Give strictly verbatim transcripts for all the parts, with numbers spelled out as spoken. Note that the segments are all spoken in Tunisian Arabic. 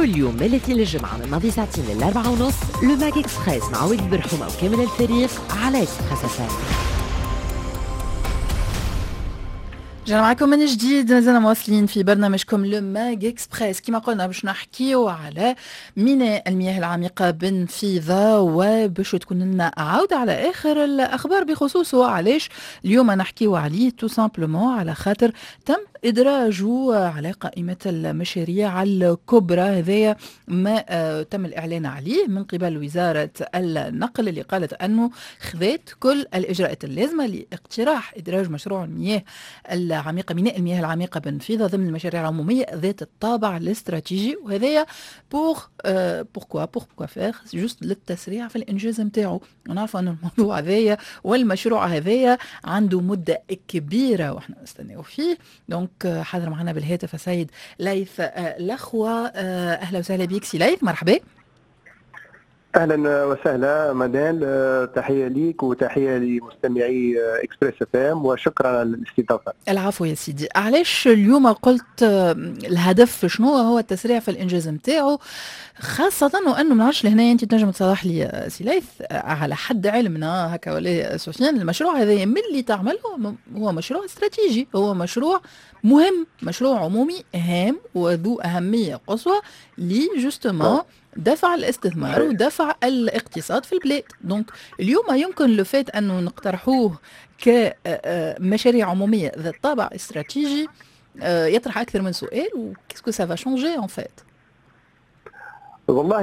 كل يوم من الاثنين للجمعة من ماضي ساعتين للأربعة ونص Le Mag Express مع ولد برحومة وكامل الفريق على Express FM. رجعنا معكم من جديد، مازلنا مواصلين في برنامجكم Le Mag Express. كما قلنا باش نحكيو على ميناء المياه العميقة بالنفيضة، وباش تكون لنا عودة على آخر الأخبار بخصوصه. علاش اليوم نحكيو عليه؟ tout simplement على خاطر تم إدراجه على قائمة المشاريع الكبرى. هذايا ما تم الإعلان عليه من قبل وزارة النقل، اللي قالت أنه خذت كل الإجراءات اللازمة لاقتراح إدراج مشروع المياه العميقة، ميناء المياه العميقة بالنفيضة، ضمن المشاريع العمومية ذات الطابع الاستراتيجي. وهذايا pour pourquoi pourquoi faire؟ juste للتسريع في الإنجاز نتاعو. ونعرفوا أن الموضوع هذايا والمشروع هذايا عنده مدة كبيرة واحنا نستناو فيه. donc حاضر معنا بالهاتف السيد ليث لخوة. أهلا وسهلا بك سي ليث، مرحبا. اهلا وسهلا منال، تحية ليك وتحية لمستمعي Express FM، وشكرا على الاستضافة. العفو يا سيدي. علاش اليوم قلت الهدف شنو هو؟ التسريع في الانجاز نتاعو، خاصة وانه ما نعرفش لهنا انت تنجم تصلح لي سي ليث، على حد علمنا هكا ولا سفيان، المشروع هذا من اللي تعمله هو مشروع استراتيجي، هو مشروع مهم، مشروع عمومي هام وذو اهمية قصوى لي justement دفع الاستثمار ودفع الاقتصاد في البلاد. donc اليوم يمكن le fait انه نقترحوه كمشاريع عموميه ذات طابع استراتيجي يطرح اكثر من سؤال، و qu'est-ce que ça va changer en fait؟ والله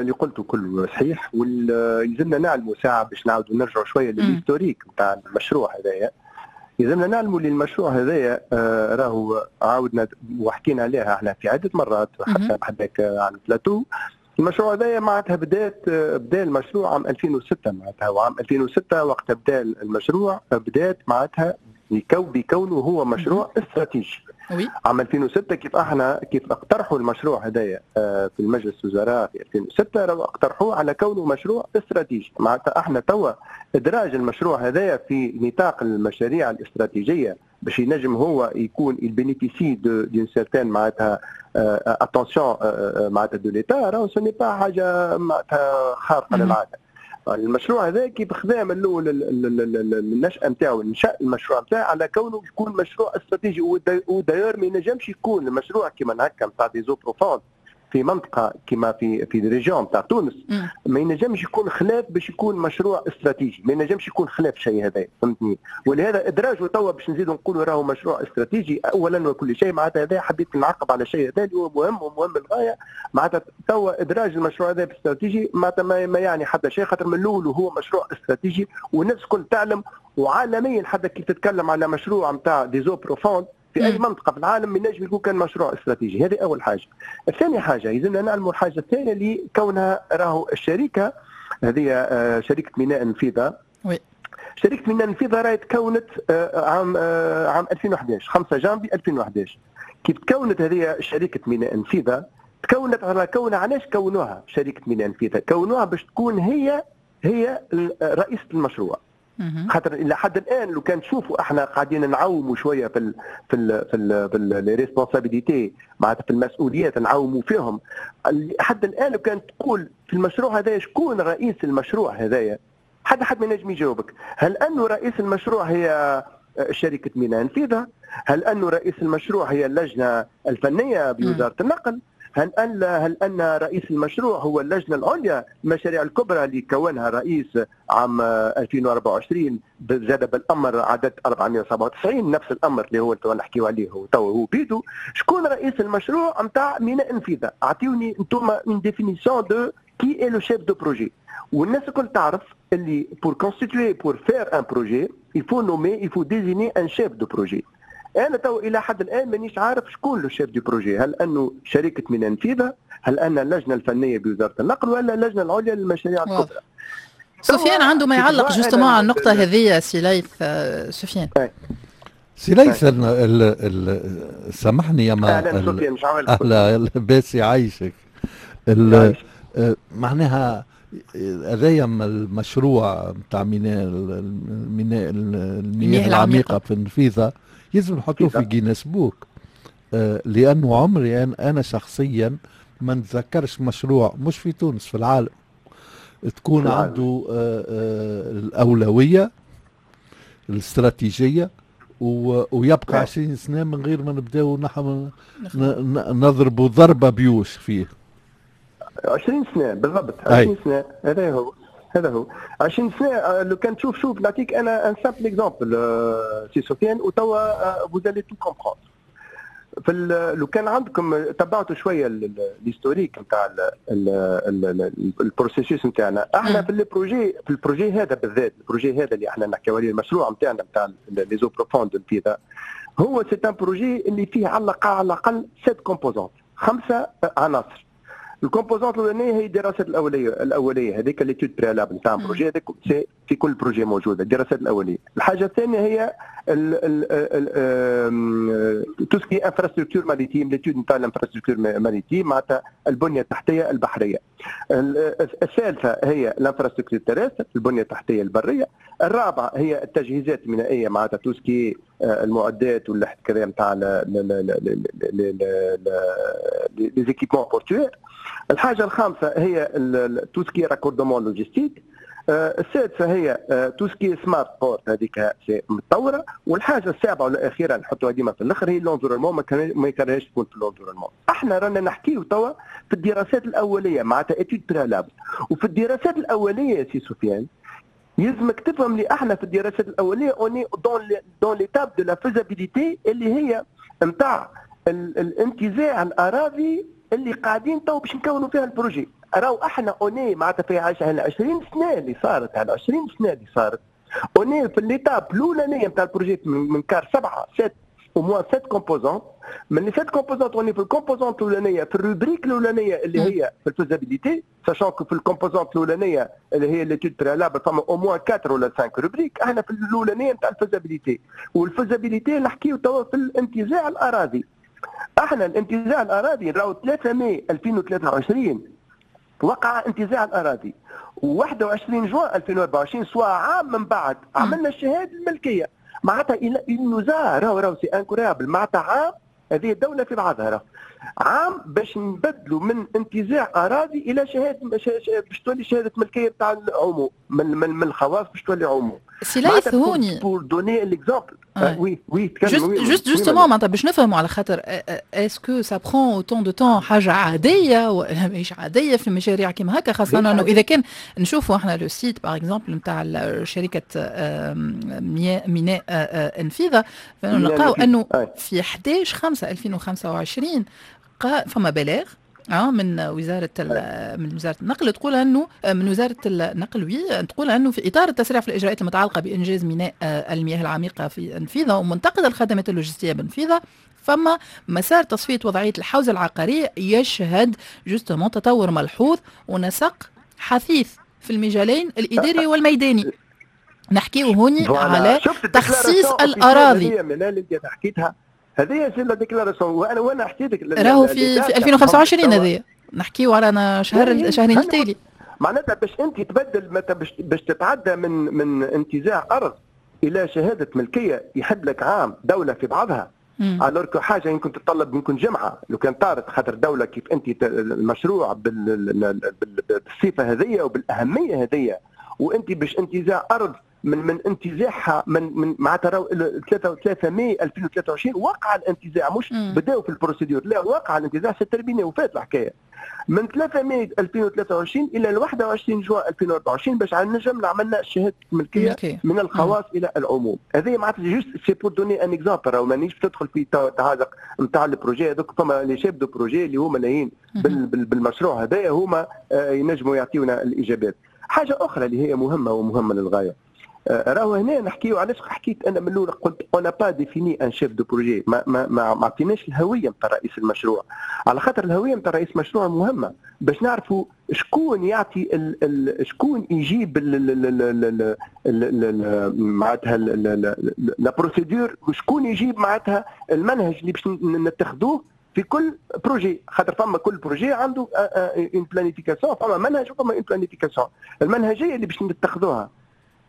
اللي قلته كله صحيح، ويلزمنا نعلموا ساعة باش نعاودوا نرجعوا شوية لل historique نتاع المشروع هذايا. يلزمنا نعلموا اللي المشروع هذايا راهو عاودنا وحكينا عليها احنا في عده مرات حتى بحذاك على البلاتو. المشروع هذايا معناتها بدات بدا المشروع عام ألفين وستة، معناتها وعام ألفين وستة وقت بدا المشروع بدات معناتها بكونه هو مشروع استراتيجي. عام ألفين وستة كيف احنا كيف اقترحوا المشروع هذايا في المجلس الوزراء في ألفين وستة، راهو اقترحوه على كونه مشروع استراتيجي. معناتها احنا توا ادراج المشروع هذايا في نطاق المشاريع الاستراتيجية باش ينجم هو يكون il bénéficie d'une certaine معناتها attention معناتها de l'État، راهو ce n'est pas حاجة معناتها خارقة للعادة. المشروع هذا كيف خذا من الاول النشأة نتاعو، نشأ المشروع نتاعو على كونه يكون مشروع استراتيجي. و d'ailleurs ما ينجمش يكون المشروع كيما هكا نتاع des eaux profondes في منطقة كما في في région تاع تونس، ما ينجمش يكون خلاف باش يكون مشروع استراتيجي، ما ينجمش يكون خلاف شيء هذا، فهمتني؟ ولهذا ادراجه توا باش نزيدوا نقولوا راهو مشروع استراتيجي اولا وكل شيء، معناتها هذا حبيت نعقب على شيء هذا اللي هو مهم ومهم للغاية. معناتها توا ادراج المشروع هذا باستراتيجي معناتها ما يعني حتى شيء، خاطر من الاول وهو مشروع استراتيجي والناس الكل تعلم، وعالميا حتى كي تتكلم على مشروع نتاع des eaux profondes في اي منطقة في العالم ما ينجم يكون كان مشروع استراتيجي. هذه اول حاجة. الثاني حاجة يلزمنا نعلموا الحاجة الثانية اللي كونها راهو الشركة هذه شركة ميناء النفيضه. oui. شركة ميناء النفيضه راهي تكونت عام عام ألفين وأحد عشر، خمسة جانفي ألفين وأحد عشر. كيف تكونت هذه شركة ميناء النفيضه؟ تكونت على كونها، علاش كونوها شركة ميناء النفيضه؟ كونوها باش تكون هي هي رئيسه المشروع. خاطر الى حد الان لو كان تشوفوا احنا قاعدين نعوموا شوية في ال في ال في ال في les responsabilités، معناتها في المسؤوليات نعوموا فيهم. لحد الان لو كان تقول في المشروع هذايا شكون رئيس المشروع هذايا، حد حد ما ينجم يجاوبك. هل انه رئيس المشروع هي شركة ميناء النفيضه؟ هل انه رئيس المشروع هي اللجنة الفنية بوزارة النقل؟ هل ان هل ان رئيس المشروع هو اللجنة العليا المشاريع الكبرى اللي كونها رئيس عام ألفين وأربعة وعشرين زاد بالامر عدد أربعمئة وسبعة وتسعين، نفس الامر اللي هو تو نحكيو عليه هو تو هو بيدو. شكون رئيس المشروع نتاع ميناء النفيضه؟ اعطيوني انتم une définition de qui est le chef de projet. والناس الكل تعرف اللي pour constituer pour faire un projet il faut nommer il faut désigner un chef de projet. انا تو الى حد الان مانيش عارف شكون le chef de projet، هل انه شركة ميناء النفيضه، هل ان اللجنة الفنية بوزارة النقل، ولا اللجنة العليا للمشاريع الكبرى. سفيان عنده ما يعلق justement على النقطة هذه. سي ليث، سفيان سي ليث ال سامحني يا ما اهلا سفيان، مش عامل اهلا لاباس يعيشك. معناها هذايا المشروع نتاع ميناء الميناء المياه العميقة في النفيضه يلزم نحطوه في Guinness Book، آه لانه عمري انا شخصيا ما نتذكرش مشروع مش في تونس، في العالم، تكون في العالم. عنده آه، آه، الأولوية الاستراتيجية ويبقى نعم. عشرين سنة من غير ما نبداو نحن نضربوا ضربة بيوش فيه. عشرين سنة بالضبط، عشرين سنة، هذا هو هذا هو عشرين سنة. آه، لو كان تشوف، شوف نعطيك انا un simple exemple سي سفيان، وتوا vous allez tout comprendre. في لو كان عندكم تبعتوا شوية l'historique نتاع ال processus نتاعنا احنا في ال projet في ال projet هذا بالذات، ال projet هذا اللي احنا نحكيو عليه، المشروع نتاعنا نتاع les eaux profondes النفيضة، هو c'est un projet اللي فيه على على الاقل sept composantes، خمسة عناصر. ال composante الاولانية هي الدراسات الاوليه الاوليه هذيك l'étude préalable نتاع projet، هذاك في كل projet موجودة الدراسات الاوليه. الحاجة الثانية هي tout ce qui est infrastructure maritime، l'étude نتاع ال infrastructure maritime، معناتها البنية التحتية البحريه. الثالثة هي ال infrastructure terrestre، البنية التحتية البريه. الرابعة هي التجهيزات المينائيه، معناتها tout ce qui est المعدات ولا كذا نتاع les équipements portuaires. الحاجة الخامسة هي tout ce qui est raccordement logistique. السادسة هي tout ce qui est smart port، هذيك متطوره. والحاجة السابعة والاخيره، نحطوها ديما في الاخر، هي l'environnement، ما يكرهش تكون في l'environnement. احنا رانا نحكيو توا في الدراسات الاوليه، معناتها études préalables. وفي الدراسات الاولية سي سفيان، يلزمك تفهم لي احنا في الدراسات الاولية on est dans dans l'étape de la faisabilité، اللي هي نتاع الانتزاع الاراضي اللي قاعدين تو باش نكونوا فيها ال projet. راهو احنا on est معناتها في عشرين سنة اللي صارت، على عشرين سنة اللي صارت، on est في l'étape الاولانية نتاع ال projet من quart سبعه، sept au moins sept composantes. من les sept composantes، on est في ال composante الاولانيه، في ال rubrique الاولانية اللي هي في ال faisabilité، sachant que في ال composante الاولانية اللي هي l'étude préalable فما au moins quatre ولا خمسة rubriques. احنا في الاولانية نتاع ال faisabilité، وال faisabilité نحكيو توا في الانتزاع الاراضي. احنا الانتزاع الاراضي راهو ثلاثة ماي ألفين وثلاثة وعشرين وقع انتزاع الاراضي، وواحد وعشرين جوان ألفين وأربعة وعشرين، soit عام من بعد، عملنا الشهادة الملكيه. معناتها il nous a راهو راهو c'est incroyable، معناتها عام، هذه الدولة في بعضها، راهو عام باش نبدلوا من انتزاع اراضي الى شهاده، باش تولي شهادة ملكية بتاع العموم، من من, من الخواص باش تولي عموم. سي ليث هوني pour donner l'exemple، oui oui. juste justement معناتها باش نفهموا، على خاطر est-ce que ça prend autant de temps، حاجة عادية ولا ماهيش عادية في مشاريع كيما هكا؟ خاصة انه اذا كان نشوفوا احنا le site par exemple نتاع شركة ميناء النفيضه، فنلقاو انه في حداش خمسة ألفين وخمسة وعشرين فما بلاغ اه من وزاره من وزارة النقل، تقول انه من وزارة النقل، oui، تقول انه في اطار التسريع في الاجراءات المتعلقة بانجاز ميناء المياه العميقة في النفيضه ومنطقة الخدمات اللوجستية بالنفيضه، فما مسار تصفية وضعية الحوزه العقارية يشهد justement تطور ملحوظ ونسق حثيث في المجالين الاداري والميداني. نحكيه هوني على تخصيص الاراضي. اللي انت حكيتها هذه c'est la déclaration، وانا وانا حكيت لك راهو في في ألفين وخمسة وعشرين، هذه نحكيو على شهر شهرين التالي. معناتها باش انت تبدل، باش باش تتعدى من من انتزاع ارض الى شهادة ملكية يحب لك عام، دولة في بعضها، alors que حاجة يمكن تتطلب يمكن جمعه لو كان طارت، خاطر دولة كيف انت المشروع بالصفة هذه وبالاهميه هذه، وانت باش انتزاع ارض من من انتزاعها من من معناتها راهو ثلاثة ثلاثة ماي ألفين وثلاثة وعشرين وقع الانتزاع، مش بداوا في ال procédure، لا، وقع الانتزاع، c'est terminé، وفات الحكايه. من ثلاثة ماي ألفين وثلاثة وعشرين الى واحد وعشرين جوان ألفين وأربعة وعشرين باش نجم عملنا شهادة ملكية من الخواص الى العموم. هذه معناتها juste c'est pour donner un exemple، راهو مانيش تدخل في تعازق نتاع ال projet هذوك. فما les chefs de projet اللي هما لاهين بالمشروع هذايا، هما آه، ينجموا يعطيونا الاجابات. حاجة اخرى اللي هي مهمة ومهمة للغايه، آه، راهو هنا نحكيو، علاش حكيت انا من الاول قلت on n'a pas défini un chef de projet، ما ما ما, ما عطيناش الهوية نتاع رئيس المشروع، على خاطر الهوية نتاع رئيس المشروع مهمة باش نعرفوا شكون يعطي ال ال شكون يجيب ال ال معناتها la procédure، شكون يجيب معناتها المنهج اللي باش نتخذوه في كل projet، خاطر فما كل projet عنده une planification، فما منهج وفما une planification، المنهجية اللي باش نتخذوها.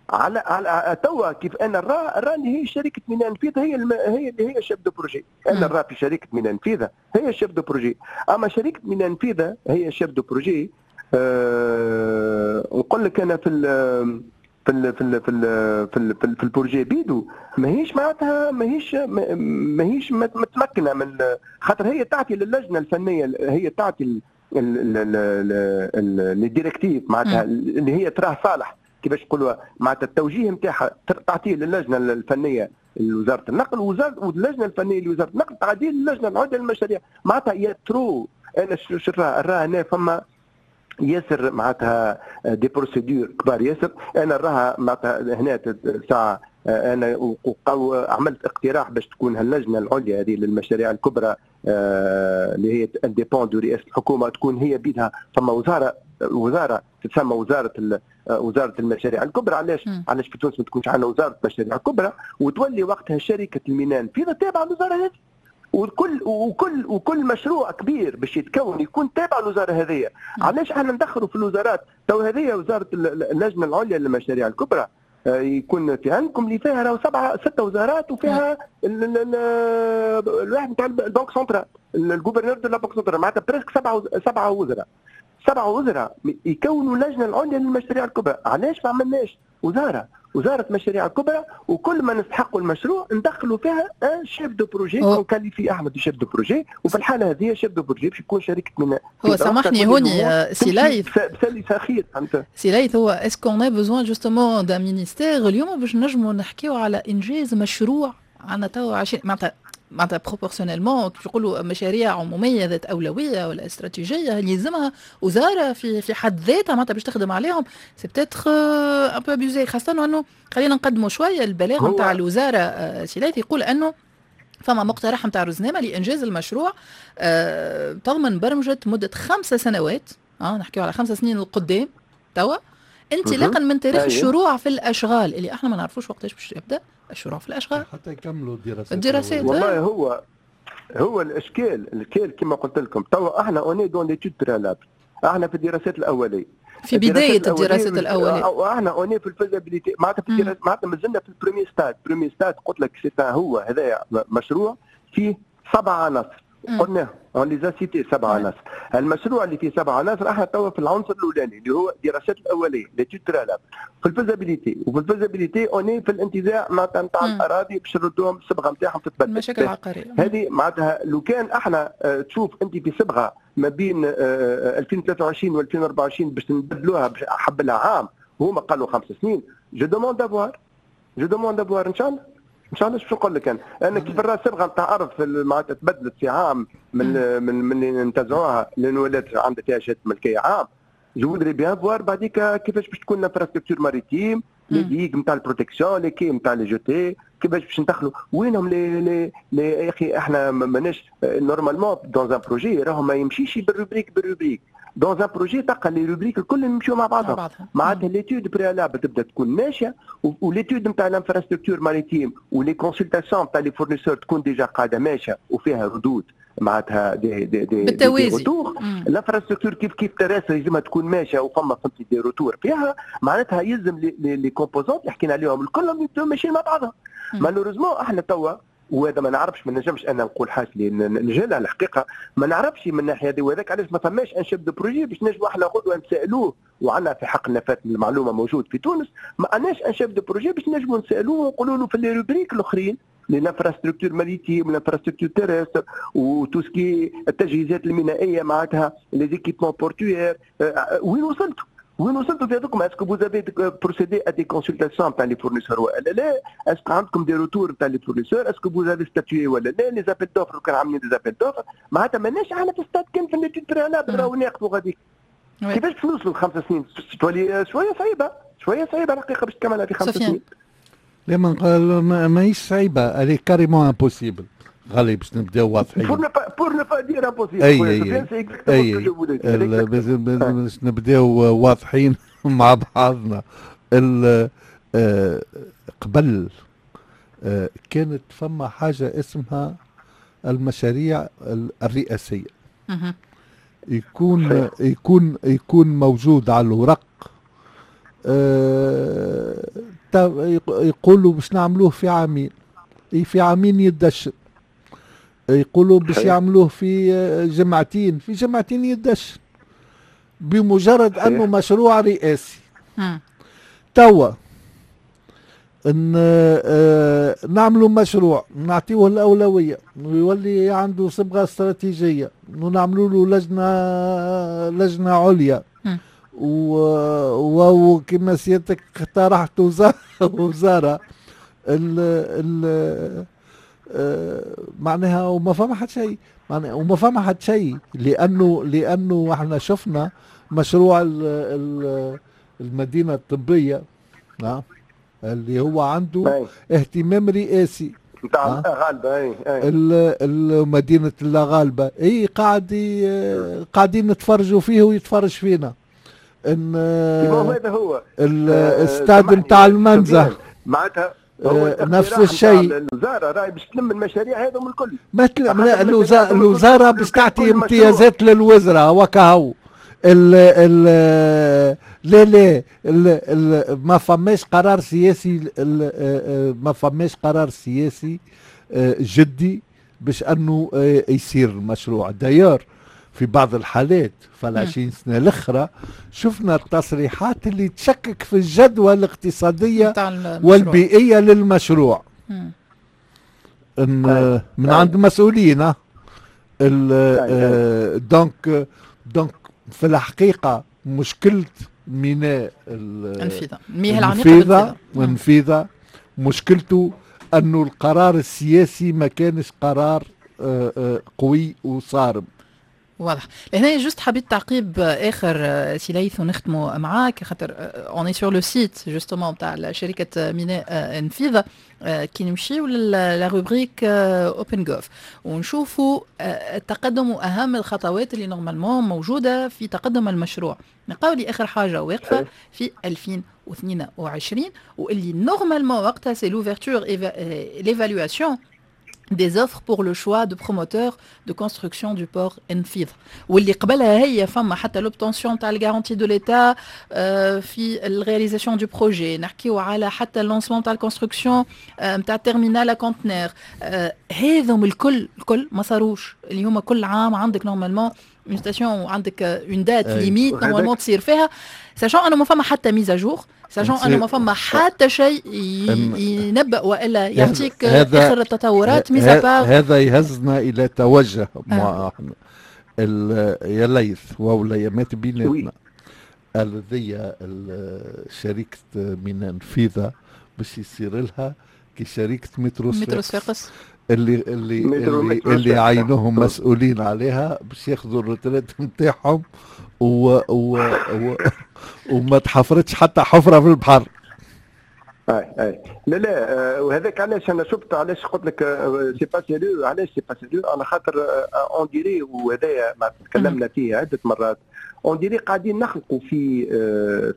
على على توا كيف انا نرى راني هي شركة ميناء النفيضه هي الم... هي اللي هي chef de projet. انا نرى في شركة ميناء النفيضه هي chef de projet، اما شركة ميناء النفيضه هي chef de projet. أه... نقول لك انا في ال في ال في ال في ال في, ال في, ال في ال projet بيدو ماهيش معناتها ماهيش ماهيش متمكنة من، خاطر هي تعطي للجنة الفنيه، هي تعطي les directives معناتها اللي هي تراه صالح كيفاش نقولوا معناتها التوجيه نتاعها تعطيه للجنة الفنية لوزارة النقل، واللجنة الفنية لوزارة النقل تعطيه للجنة العليا للمشاريع. معناتها y a trop انا شو راه هنا فما ياسر معناتها des procédures كبار ياسر. انا نراها معناتها هنا ساعة انا عملت اقتراح باش تكون هاللجنه العليا هذه للمشاريع الكبرى اللي هي dépend de رئاسة الحكومة، تكون هي بيدها فما وزارة وزارة تتسمى وزارة وزارة المشاريع الكبرى. علاش علاش في تونس ما تكونش عندنا وزارة مشاريع كبرى وتولي وقتها شركة الميناء النفيضه تابعه للوزارة هذه، وكل وكل وكل مشروع كبير باش يتكون يكون تابع للوزارة هذه. علاش احنا ندخلوا في الوزارات؟ تو هذه وزارة اللجنة العليا للمشاريع الكبرى يكون في عندكم اللي فيها راهو سبعة ستة وزارات، وفيها الواحد نتاع ال banque centrale، ال gouverneur de la banque centrale، معناتها presque سبعة سبعة وزراء سبعة وزراء يكونوا اللجنة العليا للمشاريع الكبرى. علاش ما عملناش وزارة وزارة مشاريع الكبرى وكل ما نستحقوا المشروع ندخلوا فيها un chef de projet qu'on qualifie احنا de chef de projet، وفي الحالة هذه chef de projet باش يكون شركة من هو سامحني هوني سي ليث، بسلسه خير فهمت سي ليث، هو est-ce qu'on a besoin justement d'un ministère اليوم باش نجموا نحكيو على انجاز مشروع عندنا توا عشرين معناتها معناتها proportionnellement كيف يقولوا مشاريع عموميه ذات اولوية ولا استراتيجية يلزمها وزارة في في حد ذاتها معناتها باش تخدم عليهم؟ c'est peut-être un peu abusé، خاصة انه خلينا نقدموا شوية البلاغ نتاع الوزاره. سي ليث يقول انه فما مقترح نتاع رزنامه لانجاز المشروع أه تضمن برمجة مده خمسة سنوات، اه نحكيو على خمسة سنين القدام توا، انطلاقا من تاريخ الشروع في الاشغال اللي احنا ما نعرفوش وقتاش باش يبدا الشروع في الاشغال حتى يكملوا الدراسات. الدراسات والله هو هو الاشكال الاشكال كما قلت لكم توا احنا on est dans l'étude préalable، احنا في الدراسات الاولية، في بداية الدراسات الاولية، احنا on est في ال faisabilité معناتها في الدراسات، معناتها مازلنا في ال premier stade. premier stade قلت لك c'est هو هذا مشروع فيه سبع عناصر قلناه on les a cités سبع عناصر. المشروع اللي فيه سبع عناصر احنا توا في العنصر الاولاني اللي هو الدراسات الاولية l'étude préalable في ال faisabilité، وفي ال faisabilité on est في الانتزاع معناتها نتاع الاراضي باش نردوهم الصبغه نتاعهم تتبدل المشاكل العقارية هذه. معناتها لو كان احنا تشوف انت في صبغة ما بين ألفين وثلاثة وعشرين و ألفين وأربعة وعشرين باش نبدلوها باش حب لها عام، هما قالوا خمس سنين. je demande à voir je demande à voir ان شاء الله ان شاء الله. شو نقول لك انا انا كيف الراس صبغة نتاع ارض معناتها تبدلت في عام من من من اللي انتزعوها لان ولات عندها فيها شهادة ملكية عام. je voudrais bien voir بعديك كيفاش باش تكون l'infrastructure maritime، les digues نتاع ال protection، les quais نتاع les jetées، كيفاش باش ندخلوا وينهم les les les يا اخي احنا ماناش normalement dans un projet راهو ما يمشيش بال rubrique بال rubrique. dans un projet تلقى les rubriques الكل يمشيو مع بعضهم، معناتها l'étude préalable تبدا تكون ماشية و l'étude نتاع l'infrastructure maritime و les consultations نتاع les fournisseurs تكون déjà قاعدة ماشية وفيها ردود معناتها des des des بالتوازي l'infrastructure كيف كيف terrestre لازمها تكون ماشية وفما فهمتي des retours فيها، معناتها يلزم les les composantes اللي حكينا عليهم الكلهم يبداو ماشيين مع بعضهم. malheureusement احنا توا وهذا ما نعرفش، ما نجمش انا نقول حاجة اللي نجهلها الحقيقة، ما نعرفش من الناحية هذه، وهذاك علاش ما فماش un chef de projet باش نجموا احنا غدوه نسالوه، وعندنا في حق نفات المعلومة موجود في تونس، ما عندناش un chef de projet باش نجموا نسالوه ونقولوا له في les rubriques الاخرين l'infrastructure maritime، l'infrastructure terrestre و tout ce qui التجهيزات المينائيه معناتها les équipements portuaires، وين وصلتوا؟ وين وصلتوا في هذوكم؟ est-ce que vous avez procédé à des consultations تاع les fournisseurs ولا لا؟ est-ce que عندكم des retours تاع les fournisseurs؟ est-ce que vous avez statué ولا لا؟ les appels d'offres كان عاملين des appels d'offres، معناتها ماناش احنا في ستاد كان في l'étude préalable راهو ناقفوا غاديك. كيفاش باش نوصلوا لخمس سنين؟ تولي شوية صعيبة، شوية صعيبة الحقيقة باش تكملها في خمس سنين. لا ما نقول ماهيش صعيبة، elle est carrément impossible غالي باش نبداو واضحين. pour ne pas dire impossible. اي اي اي باش نبداو واضحين مع بعضنا. قبل كانت فما حاجة اسمها المشاريع الرئاسية، يكون يكون يكون موجود على الورق آه يقولوا باش نعملوه في عامين، في عامين يدشن. يقولوا باش يعملوه في جمعتين، في جمعتين يدشن، بمجرد انه مشروع رئاسي. توا ان آه نعملوا مشروع نعطيه الاولوية ويولي عنده صبغة استراتيجية ونعملوا له لجنة لجنة عليا، وكما سيادتك اقترحت وزارة ال ال آه معناها، وما فما حد شيء، معناها وما فما حد شيء، لانه لانه احنا شفنا مشروع ال ال المدينة الطبية نعم اللي هو عنده اهتمام رئاسي نتاع الغالبة، اي مدينة الغالبة، اي قاعد قاعدين نتفرجوا فيه ويتفرج فينا. ان هذا هو الاستاد نتاع المنزه معناتها نفس الشيء. الوزارة راهي باش تلم المشاريع هذم الكل، ما تلم الوزارة باش تعطي امتيازات للوزراء وكهو. ال ال لا لا ال ال ما فماش قرار سياسي، ما فماش قرار سياسي جدي باش انه يصير المشروع. d'ailleurs في بعض الحالات في العشرين سنة الأخرى شفنا التصريحات اللي تشكك في الجدوى الاقتصادية والبيئية للمشروع إن من عند مسؤولين. donc donc في الحقيقة مشكلة ميناء النفيضة، المياه العميقة النفيضة، مشكلته أنه القرار السياسي ما كانش قرار قوي وصارم. واضح. لهنا juste حبيت تعقيب اخر سي ليث ونختموا معاك، خاطر on est sur le site justement تاع شركة ميناء النفيضة، كي نمشيو la rubrique open gov ونشوفوا التقدم واهم الخطوات اللي normalement موجودة في تقدم المشروع، نلقاو لي اخر حاجة واقفة في ألفين واثنين وعشرين، واللي normalement وقتها c'est l'ouverture l'évaluation des offres pour le choix de promoteur de construction du port النفيضة، واللي قبلها هي فما حتى l'obtention تاع ال garantie de l'État في ال réalisation du projet، نحكيو على حتى ال lancement تاع ال construction نتاع terminal à conteneurs. هذم الكل الكل ما صاروش، اللي هما كل عام عندك normalement une station وعندك une date limite normalement تصير فيها، sachant انه ما فما حتى mise à jour، sachant انه ما فما حتى شيء ينبأ والا يعطيك اخر التطورات mis à part. هذا يهزنا الى توجه آه. يا ليث واوليامات بيناتنا الذي شركة ميناء النفيضة باش يصير لها كشركة مترو صفاقس اللي اللي اللي, اللي عينوهم مسؤولين عليها باش ياخذوا ال retraite نتاعهم و, و, و وما تحفرتش حتى حفره في البحر. اي اي لا لا، وهذاك علاش انا شفت، علاش قلت لك c'est pas sérieux، علاش c'est pas sérieux؟ على خاطر on dirait، وهذايا ما تكلمنا فيه عده مرات، on dirait قاعدين نخلقوا في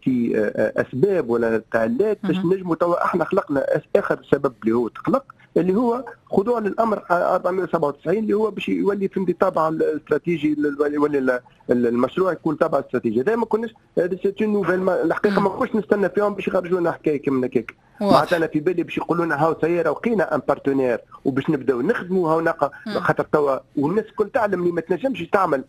في اسباب ولا تعلات باش نجموا. توا احنا خلقنا اخر سبب اللي هو تخلق، اللي هو خضوع للامر أربعمية وسبعة وتسعين، اللي هو باش يولي في تابع الاستراتيجي، يولي المشروع يكون تابع استراتيجي. هذا ما كناش، هذا c'est une nouvelle الحقيقة، ما كناش نستنى فيهم باش يخرجوا لنا حكاية كيما هكاك. معناتها انا في بالي باش يقولوا لنا هاو سيارة لقينا un partenaire وباش نبداو نخدموا هاو نقا، خاطر توا والناس الكل تعلم اللي ما تنجمش تعمل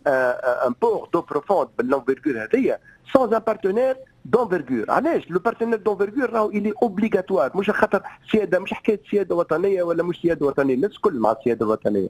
un port d'eau profonde بال l'envergure هذيا sans un partenaire d'envergure. علاش le partenaire d'envergure راهو il est obligatoire؟ مش خاطر سياده، مش حكاية سيادة وطنية ولا مش سيادة وطنيه، الناس الكل مع السيادة الوطنية.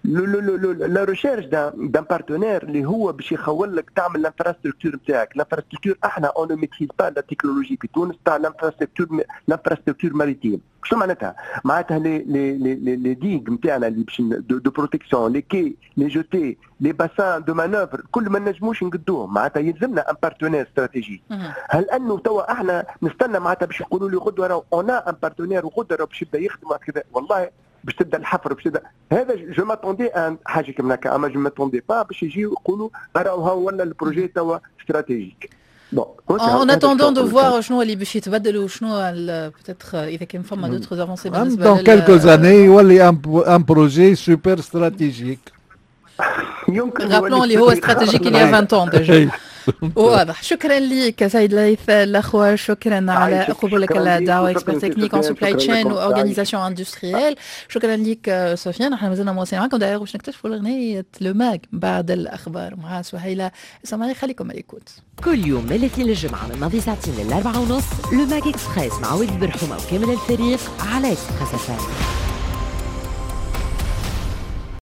le le le la recherche d'un partenaire اللي هو باش يخول لك تعمل l'infrastructure نتاعك. l'infrastructure احنا on ne maîtrise pas la technologie في تونس تاع l'infrastructure l'infrastructure maritime. شنو معناتها؟ معناتها les les les les digues نتاعنا اللي باش de protection، les quais، les jetées، les bassins de manœuvre، كل ما نجموش نقدوهم. معناتها يلزمنا un partenaire stratégique. هل انه توا احنا نستنى معناتها باش يقولوا لي غدوه راهو on a un partenaire وغدوه راهو باش يبدا يخدم كذا، والله باش تبدا الحفر باش تبدا هذا؟ je m'attendais à حاجة كيما هكا، اما je m'attendais pas باش يجيو يقولوا راهو هو ولا ال projet توا stratégique. En attendant de voir شنو اللي باش يتبدل وشنو peut-être اذا كان فما d'autres avancées بالنسبة dans quelques années يولي un projet super stratégique. يمكن. rappelons اللي هو stratégique il y a vingt ans déjà. واضح. شكرا لك سيد ليث الاخوة، شكرا على قبولك الدعوه، expert technique en supply chain و organisation industrielle. شكرا لك سفيان. نحن مازلنا مواصلين معكم دايوغ باش نكتشفوا الاغنية le mag بعد الاخبار مع سهيلة سماعي. خليكم à l'écoute. كل يوم من الاثنين للجمعة من ماضي ساعتين للأربعة ونص، le Mag Express مع ولد برحومة وكامل الفريق على Express FM.